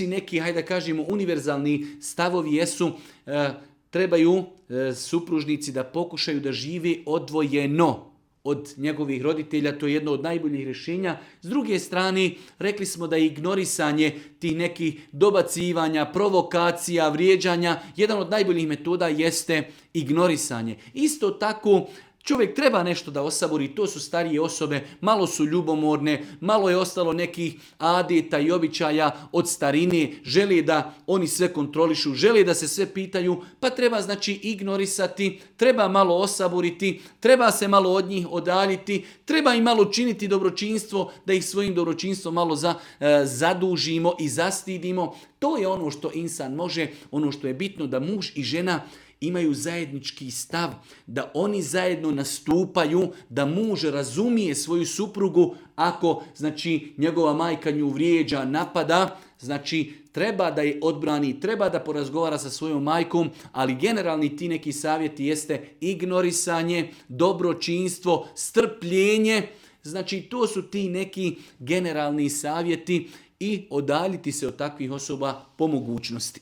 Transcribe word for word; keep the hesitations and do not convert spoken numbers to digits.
neki, hajde da kažemo, univerzalni stavovi jesu, e, trebaju e, supružnici da pokušaju da žive odvojeno od njegovih roditelja, to je jedno od najboljih rješenja. S druge strane, rekli smo da je ignorisanje tih nekih dobacivanja, provokacija, vrijeđanja, jedan od najboljih metoda jeste ignorisanje. Isto tako, čovjek treba nešto da osabori, to su starije osobe, malo su ljubomorne, malo je ostalo nekih adeta i običaja od starine, žele da oni sve kontrolišu, žele da se sve pitaju, pa treba znači ignorisati, treba malo osaboriti, treba se malo od njih odaljiti, treba im malo činiti dobročinstvo, da ih svojim dobročinstvom malo za, e, zadužimo i zastidimo. To je ono što insan može, ono što je bitno, da muž i žena imaju zajednički stav, da oni zajedno nastupaju, da muž razumije svoju suprugu ako, znači, njegova majka nju vrijeđa, napada, znači, treba da je odbrani, treba da porazgovara sa svojom majkom, ali generalni ti neki savjeti jeste ignorisanje, dobročinstvo, strpljenje, znači, to su ti neki generalni savjeti i odaljiti se od takvih osoba po mogućnosti.